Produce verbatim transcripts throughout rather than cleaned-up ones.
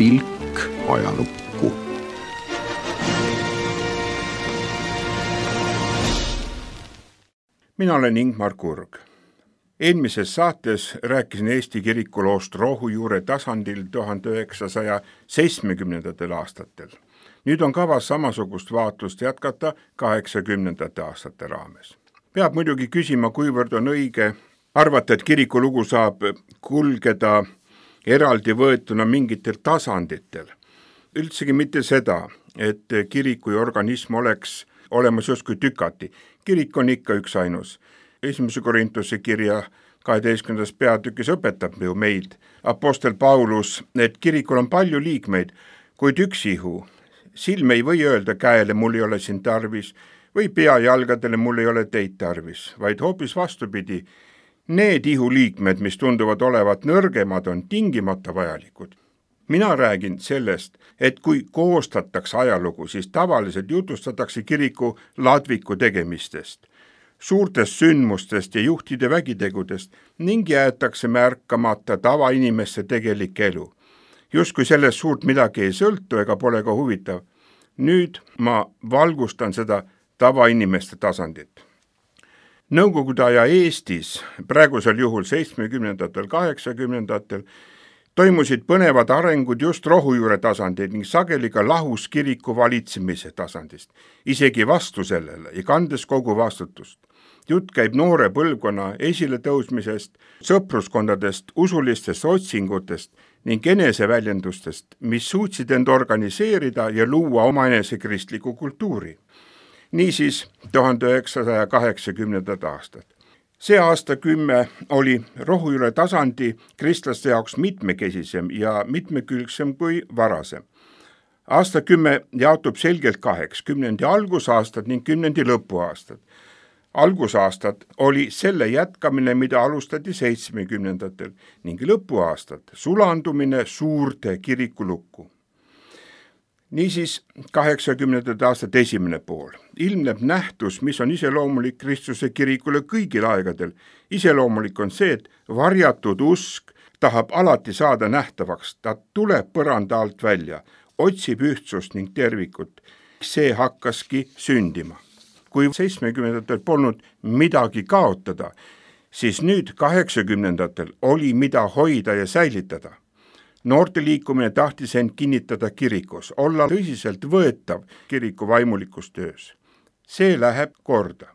pilk ajalukku. Mina olen Ingmar Kurg. Eelmises saates rääkisin Eesti kirikuloost rohujuure tasandil tuhande üheksasaja seitsmekümnendatel aastatel. Nüüd on kavas samasugust vaatlust jätkata kaheksakümnendate aastate raames. Peab muidugi küsima, kuivõrd on õige arvata, et kirikulugu saab kulgeda eraldi võetuna mingitel tasanditel. Üldsegi mitte seda, et kirik kui organism oleks olemas justkui tükati. Kirik on ikka üks ainus. Esimese Korintuse kirja kaheteistkümnendas peatükis õpetab ju meid apostel Paulus, et kirikul on palju liikmeid, kuid üks ihu. Silm ei või öelda käele, mul ei ole siin tarvis, või pea jalgadele, mul ei ole teid tarvis, vaid hoopis vastupidi. Need ihu liikmed, mis tunduvad olevat nõrgemad, on tingimata vajalikud. Mina räägin sellest, et kui koostatakse ajalugu, siis tavaliselt jutustatakse kiriku ladviku tegemistest, suurtest sündmustest ja juhtide vägitegudest ning jäetakse märkamata tavainimeste tegelik elu. Justkui sellest suurt midagi ei sõltu ega pole ka huvitav. Nüüd ma valgustan seda tavainimeste tasandit. Nõukogude aja Eestis, praegusel juhul seitsmekümnendatel, kaheksakümnendatel, toimusid põnevad arengud just rohujuure tasandil ning sageli ka lahus kiriku valitsemise tasandist, isegi vastu sellele ja kandes kogu vastutust. Jutt käib noore põlvkonna esiletõusmisest, sõpruskondadest, usulistest otsingutest ning eneseväljendustest, mis suutsid end organiseerida ja luua omaenese kristliku kultuuri. Niisiis tuhande üheksasaja kaheksakümnendad aastad. See aastakümme oli rohujuure tasandi kristlaste jaoks mitmekesisem ja mitmekülgsem kui varasem. Aastakümme jaotub selgelt kaheks, kümnendi algusaastad ning kümnendi lõpuaastad. Algusaastad oli selle jätkamine, mida alustati seitsmekümnendatel ning lõpuaastad sulandumine suurde kirikulukku. Niisiis kaheksakümnendate aastate esimene pool ilmneb nähtus, mis on iseloomulik Kristuse kirikule kõigil aegadel. Iseloomulik on see, et varjatud usk tahab alati saada nähtavaks, ta tuleb põranda alt välja, otsib ühtsust ning tervikut. See hakkaski sündima. Kui seitsmekümnendatel polnud midagi kaotada, siis nüüd kaheksakümnendatel oli mida hoida ja säilitada. Noorte liikumine tahtis end kinnitada kirikus, olla tõsiselt võetav kiriku vaimulikus töös. See läheb korda.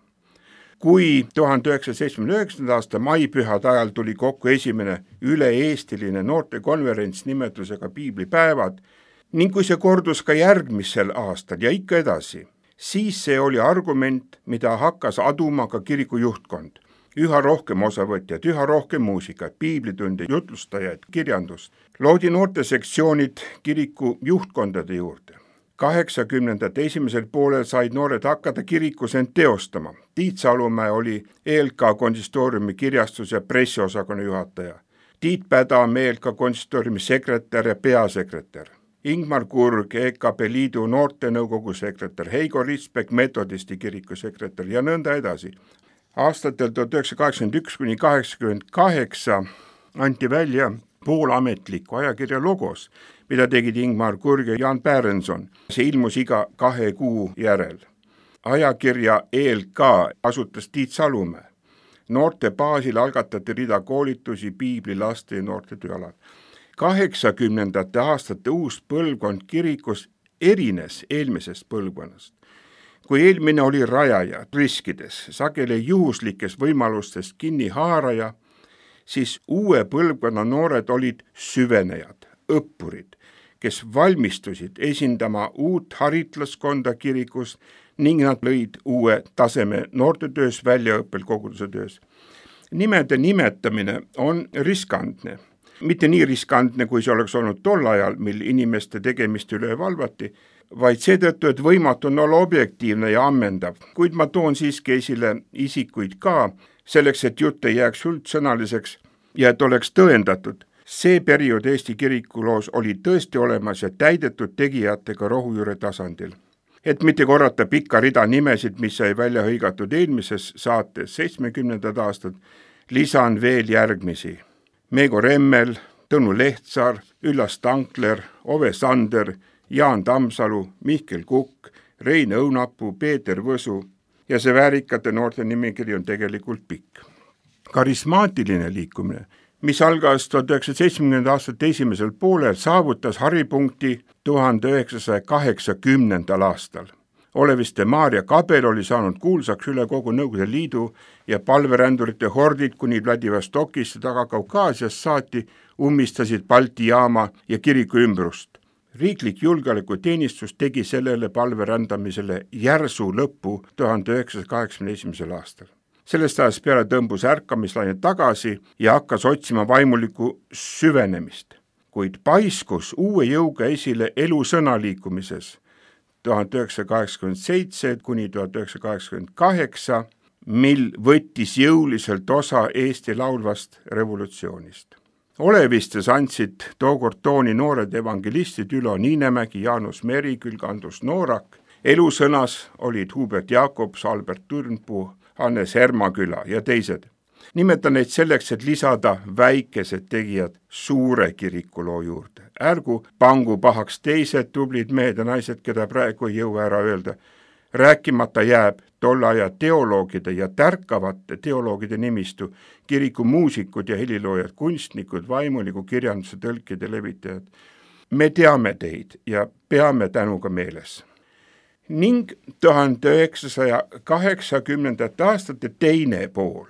Kui tuhande üheksasaja seitsmekümne üheksanda aasta maipühad ajal tuli kokku esimene üle-eestiline noortekonverents nimetusega Piiblipäevad ning kui see kordus ka järgmisel aastal ja ikka edasi, siis see oli argument, mida hakkas aduma ka kiriku juhtkond. Üha rohkem osavõtjad, üha rohkem muusikat, piiblitunde, jutlustajaid, kirjandust. Loodi noortesektsioonid kiriku juhtkondade juurde. kaheksakümnendate esimesel poolel said noored hakata kirikus end teostama. Tiit Salumäe oli E L K konsistooriumi kirjastus- ja pressiosakonna juhataja. Tiit Pädam E L K konsistooriumi sekretär ja peasekretär. Ingmar Kurg, E K P Liidu noortenõukogu sekretär, Heigo Ritsbek, metodisti kiriku sekretär ja nõnda edasi. Aastatel tuhat üheksasada kaheksakümmend üks kuni kaheksakümmend kaheksa anti välja poolametliku ajakirja Logos, mida tegid Ingmar Kurg ja Jan Pärenson. See ilmus iga kahe kuu järel. Ajakirja E L K asutas Tiit Salumäe. Noorte baasil algatati rida koolitusi piibli, laste ja noorte tööalal. kaheksakümnendate aastate uus põlvkond kirikus erines eelmisest põlvkonnast. Kui eelmine oli rajaja riskides, sageli juhuslikes võimalustest kinni haaraja, siis uue põlvkonna noored olid süvenejad, õppurid, kes valmistusid esindama uut haritlaskonda kirikus ning nad lõid uue taseme noortetöös, väljaõppel, koguduse töös. Nimede nimetamine on riskantne. Mitte nii riskantne, kui see oleks olnud tol ajal, mil inimeste tegemist üle valvati, vaid seetõttu, et võimatu on olla objektiivne ja ammendav, kuid ma toon siiski esile isikuid ka, selleks, et jutt ei jääks üldsõnaliseks ja et oleks tõendatud. See periood Eesti kirikuloos oli tõesti olemas ja täidetud tegijatega rohujuure tasandil. Et mitte korrata pikka rida nimesid, mis sai välja hõigatud eelmises saates seitsmekümnendad aastad, lisan veel järgmisi. Meego Remmel, Tõnu Lehtsaar, Üllas Tankler, Ove Sander, Jaan Tammsalu, Mihkel Kukk, Rein Õunapuu, Peeter Võsu ja see väärikate noorte nimekiri on tegelikult pikk. Karismaatiline liikumine, mis algas tuhat üheksasaja seitsmekümnendate aastate esimesel poolel, saavutas haripunkti tuhande üheksasaja kaheksakümnendal aastal. Oleviste Maarja Kabel oli saanud kuulsaks üle kogu Nõukogude Liidu ja palverändurite hordid kuni Vladivostokist taga Kaukaasias saati ummistasid Balti jaama ja kiriku ümbrust. Riiklik julgeolekuteenistus tegi sellele palverändamisele järsu lõppu tuhande üheksasaja kaheksakümne esimesel aastal. Sellest ajast peale tõmbus ärkamislaine tagasi ja hakkas otsima vaimulikku süvenemist, kuid paiskus uue jõuga esile elusõna liikumises tuhande üheksasada kaheksakümmend seitse kuni tuhat üheksasada kaheksakümmend kaheksa, mil võttis jõuliselt osa Eesti laulvast revolutsioonist. Olevistes andsid tookord tooni noored evangelistid Ülo Niinemägi, Jaanus Merikülg, Andrus Noorak. Elusõnas olid Hubert Jakobs, Albert Turnpuu, Hannes Hermaküla ja teised. Nimetan neid selleks, et lisada väikesed tegijad suure kirikuloo juurde. Ärgu pangu pahaks teised tublid mehed ja naised, keda praegu ei jõua ära öelda. Rääkimata jääb tolle aja teoloogide ja tärkavate teoloogide nimistu, kiriku muusikud ja heliloojad, kunstnikud, vaimuliku kirjanduse tõlkid ja levitajad. Me teame teid ja peame tänuga meeles. Ning tuhande üheksasaja kaheksakümnendate aastate teine pool.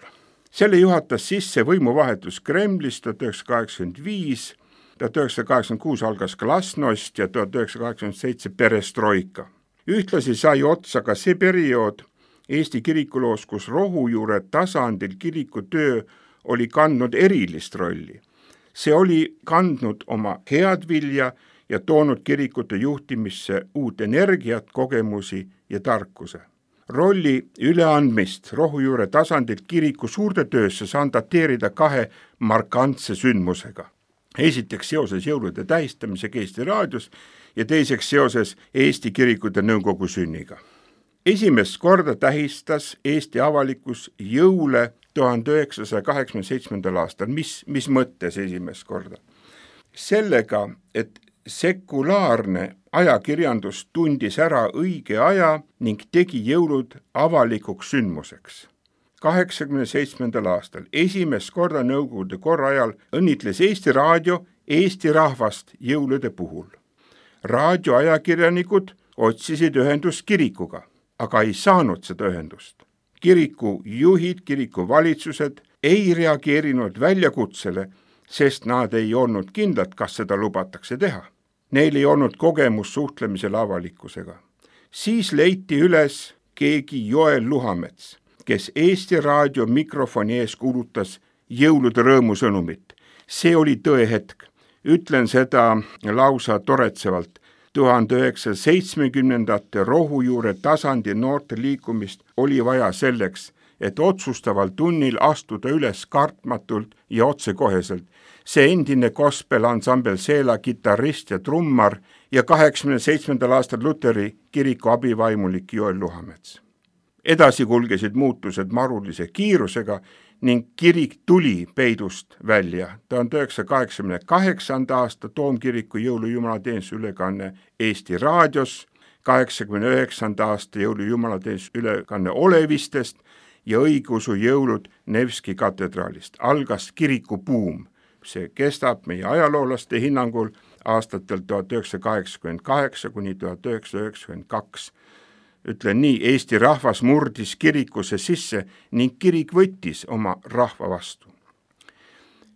Selle juhatas sisse võimuvahetus Kremlis tuhat üheksasada kaheksakümmend viis, tuhat üheksasada kaheksakümmend kuus algas glasnost ja tuhat üheksasada kaheksakümmend seitse perestroika. Ühtlasi sai otsa ka see periood Eesti kirikuloos, kus rohujuure tasandil kiriku töö oli kandnud erilist rolli. See oli kandnud oma head vilja ja toonud kirikute juhtimisse uut energiat, kogemusi ja tarkuse. Rolli üleandmist rohujuure tasandilt kiriku suurde töösse saan dateerida kahe markantse sündmusega. Esiteks seoses jõulude tähistamisega Eesti raadios ja teiseks seoses Eesti kirikute nõukogu sünniga. Esimest korda tähistas Eesti avalikkus jõule tuhande üheksasaja kaheksakümne seitsmendal aastal. Mis, mis mõttes esimest korda? Sellega, et sekulaarne ajakirjandus tundis ära õige aja ning tegi jõulud avalikuks sündmuseks. kaheksakümne seitsmendal aastal esimest korda nõukogude korra ajal õnnitles Eesti Raadio Eesti rahvast jõulude puhul. Raadioajakirjanikud otsisid ühendust kirikuga, aga ei saanud seda ühendust. Kiriku juhid, kiriku valitsused ei reageerinud väljakutsele, sest nad ei olnud kindlad, kas seda lubatakse teha. Neil ei olnud kogemus suhtlemisel avalikkusega. Siis leiti üles keegi Joel Luhamets, kes Eesti Raadio mikrofoni ees kuulutas jõulude rõõmusõnumit. See oli tõehetk. Ütlen seda lausa toretsevalt. tuhande üheksasaja seitsmekümnendate rohujuure tasandi noorte liikumist oli vaja selleks, et otsustaval tunnil astuda üles kartmatult ja otsekoheselt. See endine gospel ansambel Seela kitarrist ja trummar ja kaheksakümne seitsmendal aastal Luteri kiriku abivaimulik Joel Luhamets. Edasi kulgesid muutused marulise kiirusega ning kirik tuli peidust välja. tuhande üheksasaja kaheksakümne kaheksanda aasta Toomkiriku jõulujumalateenistuse ülekanne Eesti Raadios, kaheksakümne üheksanda aasta jõulujumalateenistuse ülekanne Olevistest ja õigeusu jõulud Nevski katedraalist. Algas kirikubuum. See kestab meie ajaloolaste hinnangul aastatel tuhat üheksasada kaheksakümmend kaheksa kuni tuhat üheksasada üheksakümmend kaks. Ütlen nii, Eesti rahvas murdis kirikusse sisse ning kirik võttis oma rahva vastu.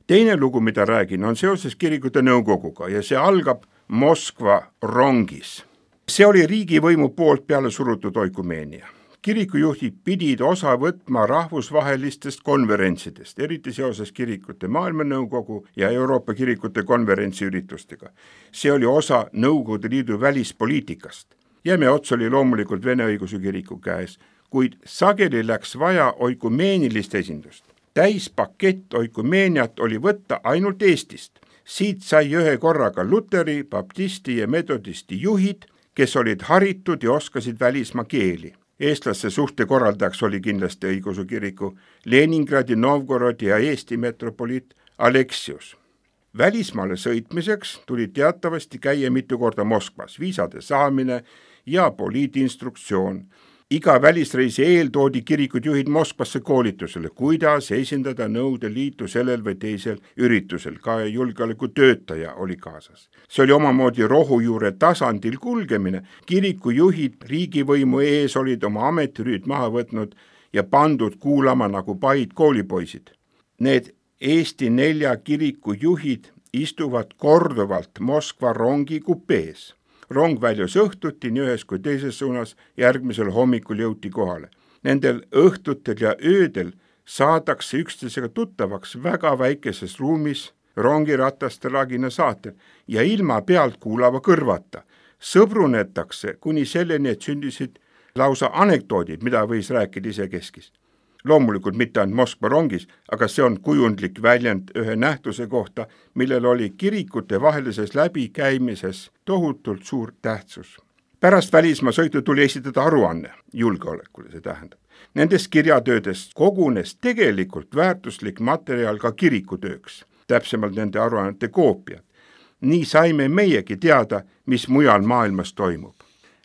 Teine lugu, mida räägin, on seoses kirikute nõukoguga ja see algab Moskva rongis. See oli riigivõimu poolt peale surutud oikumeenia. Kirikujuhid pidid osa võtma rahvusvahelistest konverentsidest, eriti seoses kirikute maailmanõukogu ja Euroopa kirikute konverentsi üritustega. See oli osa Nõukogude Liidu välispoliitikast. Jäme ots oli loomulikult Vene õigeusu kiriku käes, kuid sageli läks vaja oikumeenilist esindust. Täispakett oikumeeniat oli võtta ainult Eestist. Siit sai ühe korraga Luteri, baptisti ja metodisti juhid, kes olid haritud ja oskasid välismaa keeli. Eestlaste suhte korraldajaks oli kindlasti õigeusu kiriku Leningradi, Novgorodi ja Eesti metropoliit Aleksius. Välismaale sõitmiseks tuli teatavasti käia mitu korda Moskvas, viisade saamine ja poliitinstruktsioon. Iga välisreisi eel toodi kirikud juhid Moskvasse koolitusele, kuidas esindada Nõukogude Liitu sellel või teisel üritusel, ka julgeolekutöötaja oli kaasas. See oli omamoodi rohujuure tasandil kulgemine, kirikujuhid riigivõimu ees olid oma ametirüüd maha võtnud ja pandud kuulama nagu paid koolipoisid. Need Eesti nelja kirikujuhid istuvad korduvalt Moskva rongi kupees. Rong väljus õhtuti nii ühes kui teises suunas, järgmisel hommikul jõuti kohale. Nendel õhtutel ja öödel saadakse üksteisega tuttavaks väga väikeses ruumis rongirataste lagina saatel ja ilma pealt kuulava kõrvata. Sõbrunetakse kuni selleni, et sündisid lausa anekdoodid, mida võis rääkida ise keskis. Loomulikult mitte ainult Moskva rongis, aga see on kujundlik väljend ühe nähtuse kohta, millel oli kirikute vahelises läbikäimises tohutult suur tähtsus. Pärast välismaa sõitu tuli esitada aruanne julgeolekule, see tähendab. Nendest kirjatöödest kogunes tegelikult väärtuslik materjal ka kirikutööks, täpsemalt nende aruannete koopiad. Nii saime meiegi teada, mis mujal maailmas toimub.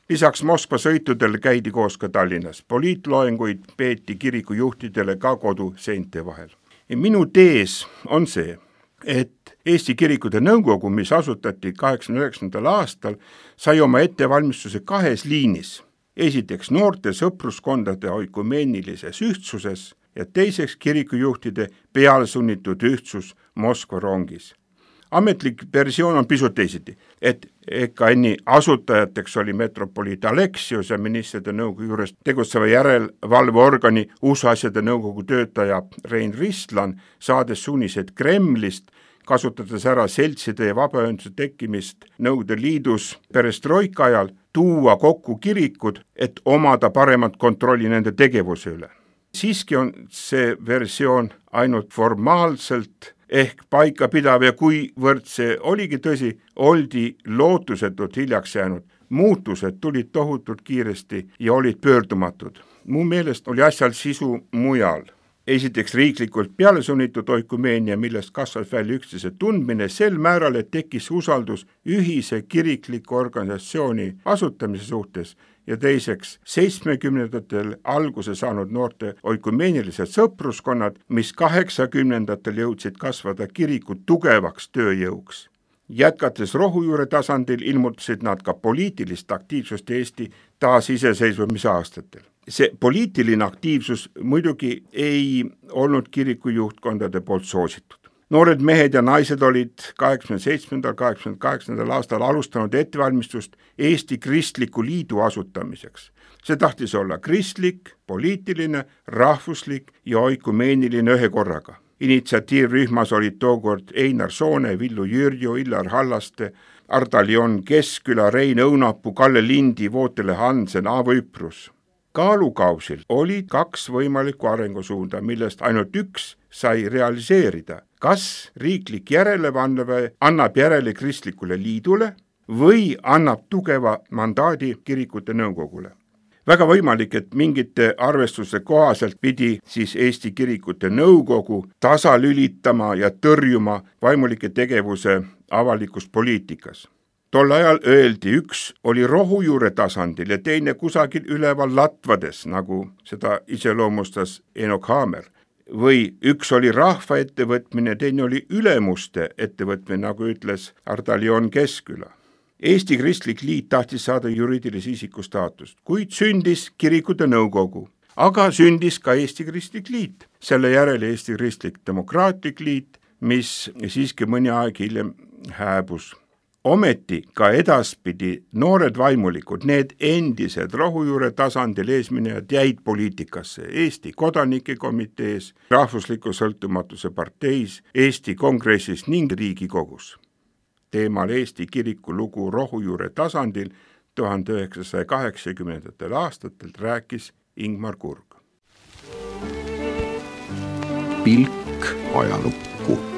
Lisaks Moskva sõitudel käidi koos ka Tallinnas. Poliitloenguid peeti kirikujuhtidele ka kodu seinte vahel. Ja minu tees on see, et Eesti Kirikute Nõukogu, mis asutati kaheksakümne üheksandal aastal, sai oma ettevalmistuse kahes liinis. Esiteks noorte sõpruskondade oikumeenilises ühtsuses ja teiseks kirikujuhtide pealsunnitud ühtsus Moskva rongis. Ametlik versioon on pisut teisiti, et E K N-i asutajateks oli metropoliit Aleksius ja ministrite nõukogu juures tegutseva järelevalveorgani usuasjade nõukogu töötaja Rein Ristlan, saades suunised Kremlist, kasutades ära seltside ja vabaühenduse tekkimist Nõukogude Liidus perestroika ajal, tuua kokku kirikud, et omada paremat kontrolli nende tegevuse üle. Siiski on see versioon ainult formaalselt ehk paika pidav ja kuivõrd see oligi tõsi, oldi lootusetult hiljaks jäänud. Muutused tulid tohutult kiiresti ja olid pöördumatud. Mu meelest oli asjal sisu mujal. Esiteks riiklikult pealesunnitud oikumeenia, millest kasvas välja üksteise tundmine sel määral, et tekkis usaldus ühise kirikliku organisatsiooni asutamise suhtes ja teiseks seitsmekümnendatel alguse saanud noorte oikumeenilised sõpruskonnad, mis kaheksakümnendatel jõudsid kasvada kiriku tugevaks tööjõuks. Jätkates rohujuure tasandil ilmutasid nad ka poliitilist aktiivsust Eesti taasiseseisvumise aastatel. See poliitiline aktiivsus muidugi ei olnud kirikujuhtkondade poolt soositud. Noored mehed ja naised olid kaheksakümne seitsmendal kaheksakümne kaheksandal aastal alustanud ettevalmistust Eesti Kristliku Liidu asutamiseks. See tahtis olla kristlik, poliitiline, rahvuslik ja oikumeeniline ühe korraga. Initsiatiivrühmas olid tookord Einar Soone, Villu Jürju, Illar Hallaste, Ardalion Keskküla, Rein Õunapuu, Kalle Lindi, Vootele Hansen, Aavo Üprus. Kaalukausil olid kaks võimalikku arengusuunda, millest ainult üks sai realiseerida. Kas riiklik järelevalve annab järele Kristlikule Liidule või annab tugeva mandaadi kirikute nõukogule? Väga võimalik, et mingite arvestuste kohaselt pidi siis Eesti Kirikute Nõukogu tasalülitama ja tõrjuma vaimulike tegevuse avalikus poliitikas. Tol ajal öeldi, üks oli rohujuure tasandil ja teine kusagil üleval latvades, nagu seda iseloomustas Enok Haamer. Või üks oli rahva ettevõtmine, teine oli ülemuste ettevõtmine, nagu ütles Ardalion Keskküla. Eesti Kristlik Liit tahtis saada juriidilise isiku staatust, kuid sündis Kirikute Nõukogu, aga sündis ka Eesti Kristlik Liit. Selle järel Eesti Kristlik Demokraatlik Liit, mis siiski mõni aeg hiljem hääbus. Ometi ka edaspidi noored vaimulikud, need endised rohujuure tasandil eesminejad jäid poliitikasse Eesti Kodanike Komitees, Rahvusliku Sõltumatuse parteis, Eesti Kongressis ning Riigikogus. Teemal Eesti kiriku lugu rohujuure tasandil tuhande üheksasaja kaheksakümnendatel aastatel rääkis Ingmar Kurg. Pilk ajalukku.